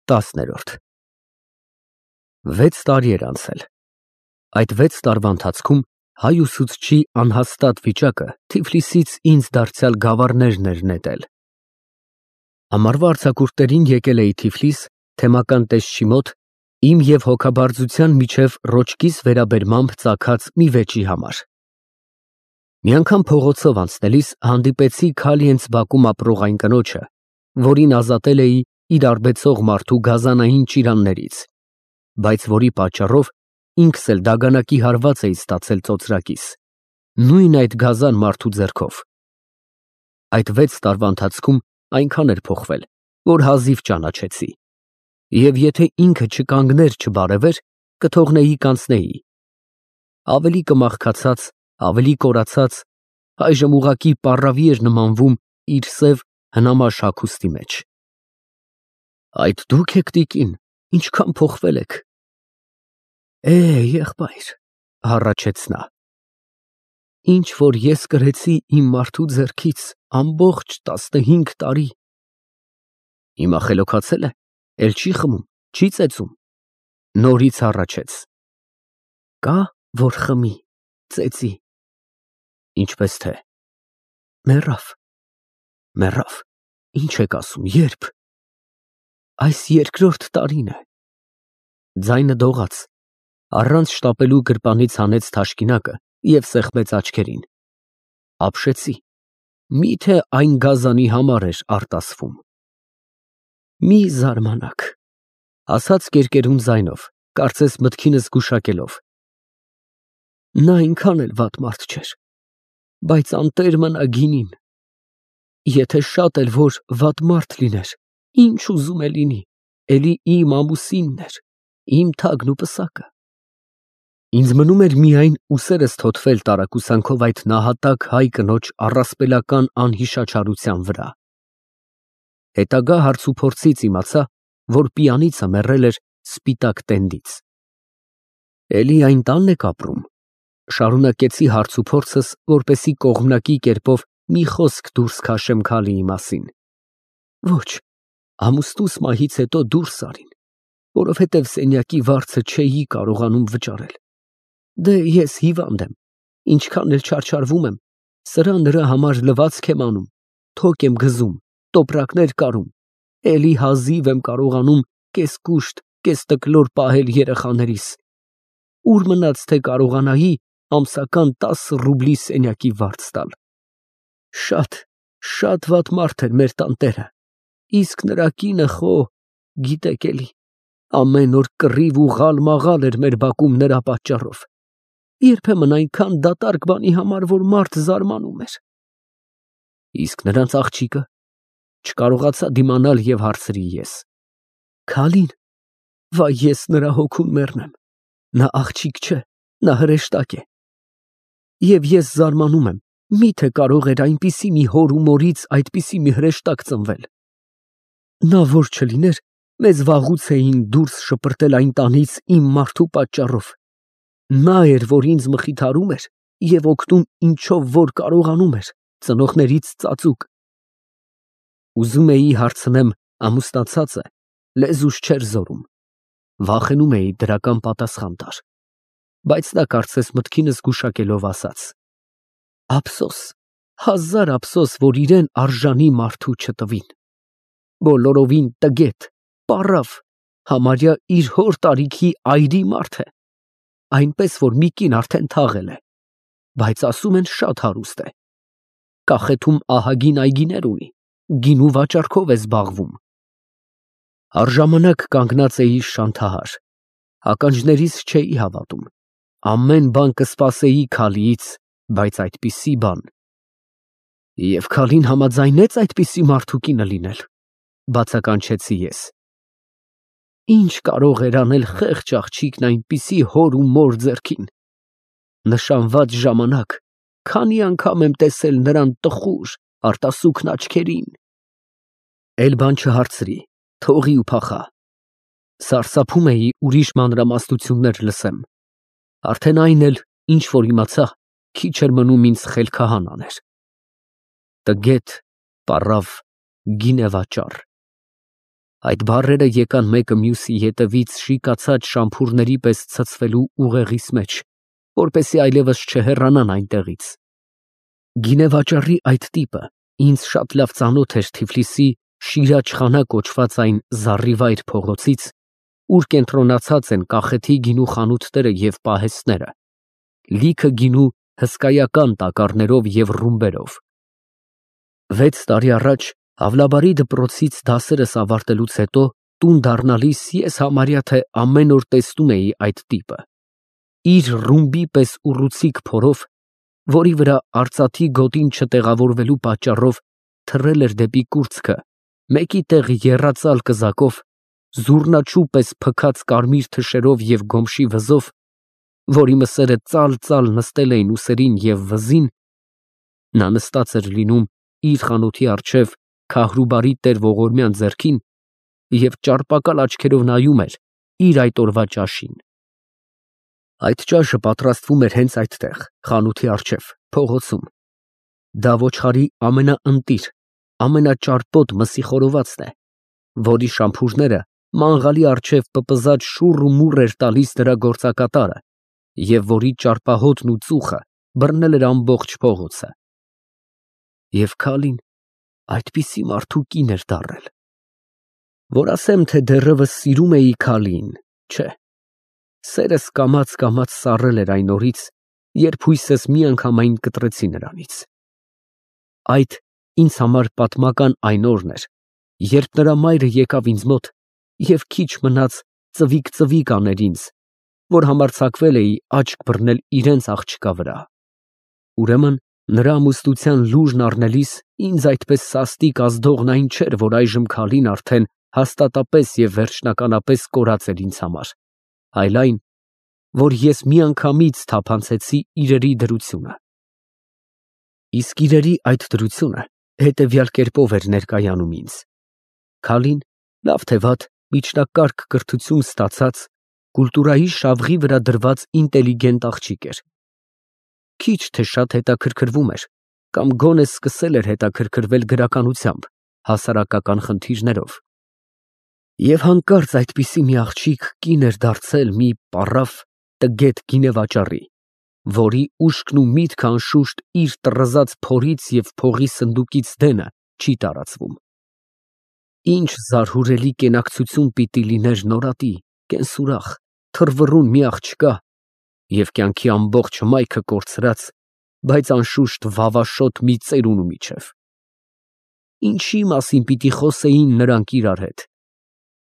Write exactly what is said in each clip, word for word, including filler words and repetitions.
Տասներորդ Վեց տարի էր անցել։ Այդ վեց տարվա ընթացքում հայ ուսուցչի անհաստատ վիճակը Թիֆլիսից ինձ դարձյալ գավառներն էր նետել։ Ամառվա արձակուրդներին եկել էի Թիֆլիս թեմական տեսչի մոտ իմ և հոգաբարձության միջև ռոճկիս վերաբերմամբ ծագած մի վեճի համար։ Մի անգամ փողոցով անցնելիս հանդիպեցի Քալիենց բակում ապրող այն կնոջը, որին ազատել էի իր արբեցող մարդու գազանային ճիրաններից, բայց որի պատճառով ինքս էլ դագանակի հարված էի ստացել ծոծրակիս, նույն այդ գազան մարդու ձեռքով։ Այդ վեց տարվա ընթացքում այնքան էր փոխվել, որ հազիվ ճանաչեցի, և եթե ինքը չկանգներ չբարևեր, կթողնեի կանցնեի։ Ավելի կմաղքացած, ավելի կորացած, այժմ ուղղակի պառավի էր նմանվում իր սև հնամաշ հագուստի մեջ։ Այդ դուք եք, տիկին, ինչքան փոխվել եք։ Է, եղբայր, հառաչեց նա, ինչ որ ես կրեցի իմ մարդու ձեռքից ամբողջ տասնհինգ տարի։ Հիմա խելոքացել է, էլ չի խմում, չի ծեծում, նորից հառաչեց։ Կա, որ խմի, ծեծի։ Ինչպես թե։ Մեռավ։ Մեռավ, ինչ եք ասում, ե՞րբ։ Այս երկրորդ տարին է։ Ձայնը դողաց, առանց շտապելու գրպանից հանեց թաշկինակը և սեղմեց աչքերին։ Ապշեցի, միթե այն գազանի համար էր արտասվում։ Մի զարմանաք, ասաց կերկերուն ձայնով, կարծես մտքինս գուշակելով։ Նա այնքան էլ վատ մարդ չէր, բայց անտեր մնա գինին։ Եթե շատ էլ որ վատ մարդ լիներ, ինչ ուզում է լինի, էլի իմ ամուսինն էր, իմ թագն ու պսակը։ Ինձ մնում էր միայն ուսերս թոթվել տարակուսանքով այդ նահատակ հայ կնոջ առասպելական անհիշաչարության վրա։ Հետագա հարցուփորձից իմացա, որ պիանիցը մեռել էր սպիտակ տենդից։ Էլի այն տանն եք ապրում, շարունակեցի հարցուփորձս, որպեսզի կողմնակի կերպով մի խոսք դուրս քաշեմ Քալիի մասին։ Ոչ, ամուսնուս մահից հետո դուրս արին, որովհետև սենյակի վարձը չէի կարողանում վճարել։ Դե ես հիվանդ եմ, ինչքան էլ չարչարվում եմ, սրա նրա համար լվացք եմ անում, թոկ եմ գզում, տոպրակներ կարում, էլի հազիվ եմ կարողանում կես կուշտ, կես տկլոր պահել երեխաներիս։ Ուր մնաց, թե կարողանայի ամսական տասը ռուբլի սենյակի վարձ տալ։ Շատ, շատ վատ մարդ էր մեր տանտերը, իսկ նրա կինը խո, գիտեք էլի, ամեն օր կռիվ ու ղալ֊մաղալ էր մեր բակում նրա պատճառով, երբեմն այնքան դատարկ բանի համար, որ մարդ զարմանում էր։ Իսկ նրանց աղջիկը, չկարողացա դիմանալ և հարցրի ես. Քալին, վայ ես նրա հոգուն մեռնեմ, նա աղջիկ չէ, նա հրեշտակ է։ Եվ ես զարմանում եմ, միթե կարող էր այնպիսի մի հոր ու մորից այդպիսի մի հրեշտակ ծնվել։ Նա որ չլիներ, մեզ վաղուց էին դուրս շպրտել այն տանից իմ մարդու պատճառով։ Նա էր, որ ինձ մխիթարում էր և օգնում ինչով որ կարողանում էր, ծնողներից ծածուկ։ Ուզում էի հարցնեմ ամուսնացած է, լեզուս չէր զորում, վախենում էի դրական պատասխան տար, բայց նա կարծես մտքինս գուշակելով ասաց. Ափսոս, հազար ափսոս, որ իրեն արժանի մարդու չտվին։ Բոլորովին տգետ, պառավ, համարյա իր հոր տարիքի այրի մարդ է, այնպես որ մի կին արդեն թաղել է, բայց ասում են շատ հարուստ է, կախեթում ահագին այգիներ ունի, գինու վաճառքով է զբաղվում։ Առժամանակ կանգնած էի շանթահար, ականջներիս չէի հավատում, ամեն բան կսպասեի Քալիից, բայց այդպիսի բան։ Եվ Քալին համաձայնեց այդպիսի մարդու կինը լինել, բացականչեցի ես։ Ինչ կարող էր անել խեղճ աղջիկն այնպիսի հոր ու մոր ձեռքին։ Նշանված ժամանակ, քանի անգամ եմ տեսել նրան տխուր, արտասուքն աչքերին։ Էլ բան չհարցրի, թողի ու փախա։ Սարսափում էի ուրիշ մանրամասնություններ լսեմ։ Արդեն այն էլ, ինչ որ իմացա, քիչ էր մնում ինձ խելքահան աներ։ Տգետ, պառավ, գինեվաճառ։ Այդ բառերը եկան մեկը մյուսի ետևից շիկացած շամփուրների պես ցցվելու ուղեղիս մեջ, որպեսզի այլևս չհեռանան այնտեղից։ Գինեվաճառի այդ տիպը ինձ շատ լավ ծանոթ էր Թիֆլիսի Շիրաջ խանա կոչված այն զառիվայր փողոցից, ուր կենտրոնացած են կախեթի գինու խանութները և պահեստները, լիքը գինու հսկայական տակառներով և ռումբերով։ Վեց տարի առաջ Ավլաբարի դպրոցից դասերս ավարտելուց հետո տուն դառնալիս ես համարյա թե ամեն օր տեսնում էի այդ տիպը, իր ռումբի պես ուռուցիկ փորով, որի վրա արծաթի գոտին չտեղավորվելու պատճառով թռել էր դեպի կուրծքը, մեկի տեղ եռածալ կզակով, զուռնաչու պես փքած կարմիր թշերով և գոմշի վզով, որի մսերը ծալ-ծալ նստել էին ուսերին և վզին, նա նստած էր լինում իր խանութի առջև Քահրուբարի տեր ողորմյան ձեռքին և ճարպակալ աչքերով նայում էր իր այդ օրվա ճաշին։ Այդ ճաշը պատրաստվում էր հենց այդտեղ, խանութի առջև, փողոցում։ Դա ոչխարի ամենաընտիր, ամենաճարպոտ մսի խորովածն է, որի շամփուրները մանգալի առջև պպզած շուռ ու մուռ էր տալիս նրա գործակատարը և որի ճարպահոտն ու ծուխը բռնել էր ամբողջ փողոցը։ Եվ Քալին այդպիսի մարդու կին էր դառել, որ ասեմ, թե դեռևս սիրում էի Քալիին, չէ, սերս կամաց֊կամաց սառել էր այն օրից, երբ հույսս միանգամայն կտրեցի նրանից։ Այդ ինձ համար պատմական այն օրն էր, երբ նրա մայրը եկավ ինձ մոտ և քիչ մնաց ծվիկ֊ծվիկ աներ ինձ, որ համարձակվել էի աչք բռնել իրենց աղջկա վրա։ Ուրեմն նրա ամուսնության լուժն առնելիս ինձ այդպես սաստիկ ազդողն այն չէր, որ այժմ Քալին արդեն հաստատապես և վերջնականապես կորած էր ինձ համար, այլ այն, որ ես միանգամից թափանցեցի իրերի դրությունը։ Իսկ իրերի այդ դրությունը հետևյալ կերպով էր ներկայանում ինձ. Քալին լավ թե վատ միջնակարգ կրթություն ստացած, կուլտուրայի շավղի վրա դրված ինտելիգենտ աղջիկ էր։ Քիչ թե շատ հետաքրքրվում էր կամ գոնե սկսել էր հետաքրքրվել գրականությամբ, հասարակական խնդիրներով։ Եվ հանկարծ այդպիսի մի աղջիկ կին էր դարձել մի պառավ, տգետ գինեվաճառի, որի ուշքն ու միտքը անշուշտ իր տռզած փորից և փողի սնդուկից դենը չի տարածվում։ Ինչ զարհուրելի կենակցություն պիտի լիներ նորատի, կենսուրախ, թռվռուն մի աղջկա և կյանքի ամբողջ հմայքը կորցրած, բայց անշուշտ վավաշոտ մի ծերունու միջև։ Ինչի մասին պիտի խոսեին նրանք իրար հետ,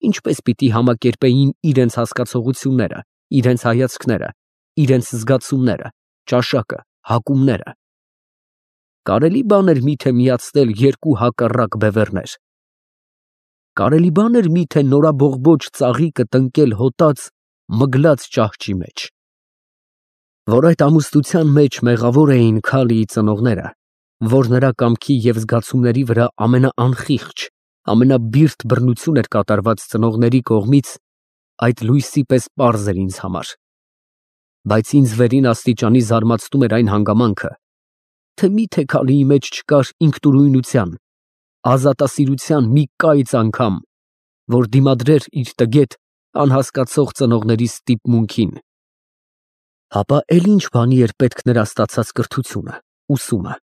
ինչպես պիտի համակերպեին իրենց հասկացողությունները, իրենց հայացքները, իրենց զգացումները, ճաշակը, հակումները։ Կարելի բան էր միթե միացնել երկու հակառակ բևեռներ։ Կարելի բան էր միթե նորաբողբոջ ծաղիկը տնկել հոտած, մգլած ճահճի մեջ։ Որ այդ ամուսնության մեջ մեղավոր էին Քալիի ծնողները, որ նրա կամքի և զգացումների վրա ամենաանխիղճ, ամենաբիրտ բռնություն էր կատարված ծնողների կողմից, այդ լույսի պես պարզ էր ինձ համար։ Բայց ինձ վերին աստիճանի զարմացնում էր այն հանգամանքը, թե միթե Քալիի մեջ չկար ինքնուրույնության, ազատասիրության մի կայծ անգամ, որ դիմադրեր իր տգետ, անհասկացող ծնողների ստիպմունքին։ Հապա էլ ինչ բանի էր պետք նրա ստացած կրթությունը, ուսումը։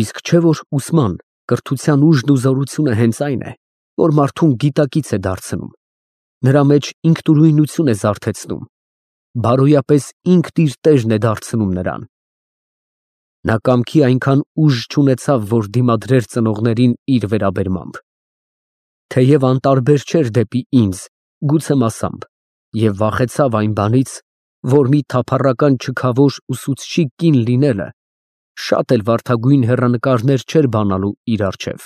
Իսկ չէ՞ որ ուսման, կրթության ուժն ու զորությունը հենց այն է, որ մարդուն գիտակից է դարձնում, նրա մեջ ինքնուրույնություն է զարթեցնում, բարոյապես ինքն իր տերն է դարձնում նրան։ Նա կամքի այնքան ուժ չունեցավ, որ դիմադրեր ծնողներին իր վերաբերմամբ։ Թեև անտարբեր չէր դեպի ինձ, գուցե մասամբ, և վախեցավ այն բանից, որ մի թափառական չքավոր ուսուցչի կին լինելը շատ էլ վարդագույն հեռանկարներ չէր բանալու իր առջև։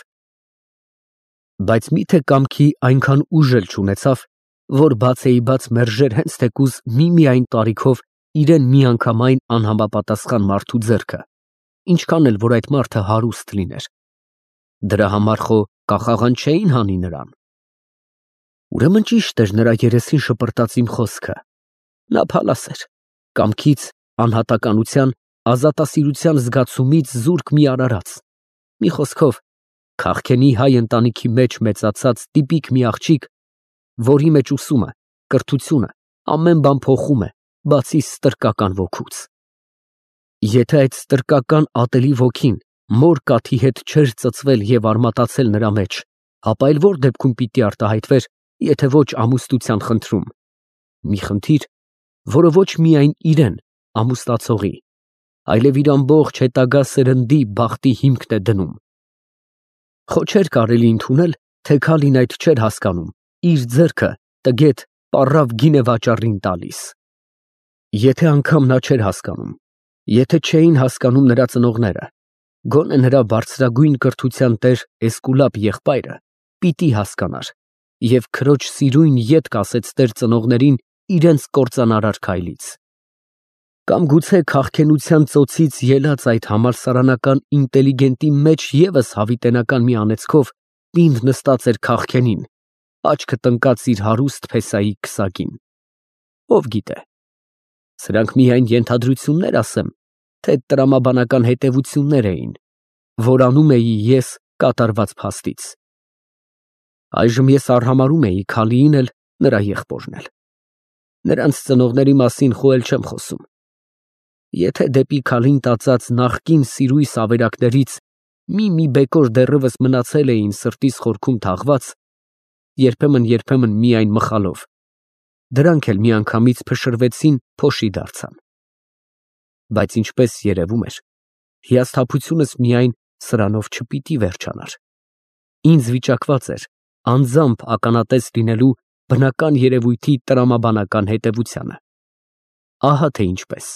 Բայց միթե կամքի այնքան ուժ էլ չունեցավ, որ բացեիբաց մերժեր հենց թեկուզ միմիայն տարիքով իրեն միանգամայն անհամապատասխան մարդու ձեռքը, ինչքան էլ որ այդ մարդը հարուստ լիներ։ Դրա համար խո կախաղան չէին հանի նրան։ Ուրեմն ճիշտ էր նրա երեսին շպրտած իմ խոսքը։ Նա փալաս էր, կամքից, անհատականության, ազատասիրության զգացումից զուրկ մի արարած։ Մի խոսքով, Քաղքենի հայ ընտանիքի մեջ մեծացած տիպիկ մի աղջիկ, որի մեջ ուսումը, կրթությունը ամեն բան փոխում է, բացի ստրկական ոգուց։ Եթե այդ ստրկական ատելի ոգին մոր կաթի հետ չէր ծծվել և արմատացել նրա մեջ, ապա այլ որ դեպքում պիտի արտահայտվեր, եթե ոչ ամուսնության խնդրում։ Մի խնդիր, որը ոչ միայն իրեն ամուսնացողի, այլև իր ամբողջ հետագա սերնդի բախտի հիմքն է դնում։ Խո չէր կարելի ընդունել, թե Քալին այդ չէր հասկանում, իր ձեռքը տգետ, պառավ գին է վաճառին տալիս։ Եթե անգամ նա չէր հասկանում, եթե չէին հասկանում նրա ծնողները, գոնե նրա բարձրագույն կրթության տեր Էսկուլապ եղբայրը պիտի հասկանար և քրոջ սիրույն ետ կասեց տեր ծնողներին իրենց կործանարար քայլից։ Կամ գուցե քաղքենության ծոցից ելած այդ համալսարանական ինտելիգենտի մեջ ևս հավիտենական մի անեծքով պինդ նստած էր քաղքենին, աչքը տնկած իր հարուստ փեսայի քսակին։ Ով գիտե, սրանք միայն ենթադրություններ ասեմ, թե տրամաբանական հետևություններ էին, որ անում էի ես կատարված փաստից։ Այժմ ես արհամարհում էի Քալիին էլ, նրա եղբորն էլ։ Նրանց ծնողների մասին խո էլ չեմ խոսում։ Եթե դեպի Քալին տածած նախկին սիրույս ավերակներից մի-մի բեկոր դեռևս մնացել էին սրտիս խորքում թաղված, երբեմն֊երբեմն միայն մխալով, դրանք էլ միանգամից փշրվեցին, փոշի դարձան։ Բայց ինչպես երևում էր, հիասթափությունս միայն սրանով չպիտի վերջանար։ Ինձ վիճակված էր անձամբ ականատես լինելու բնական երևույթի տրամաբանական հետևությանը։ Ահա թե ինչպես։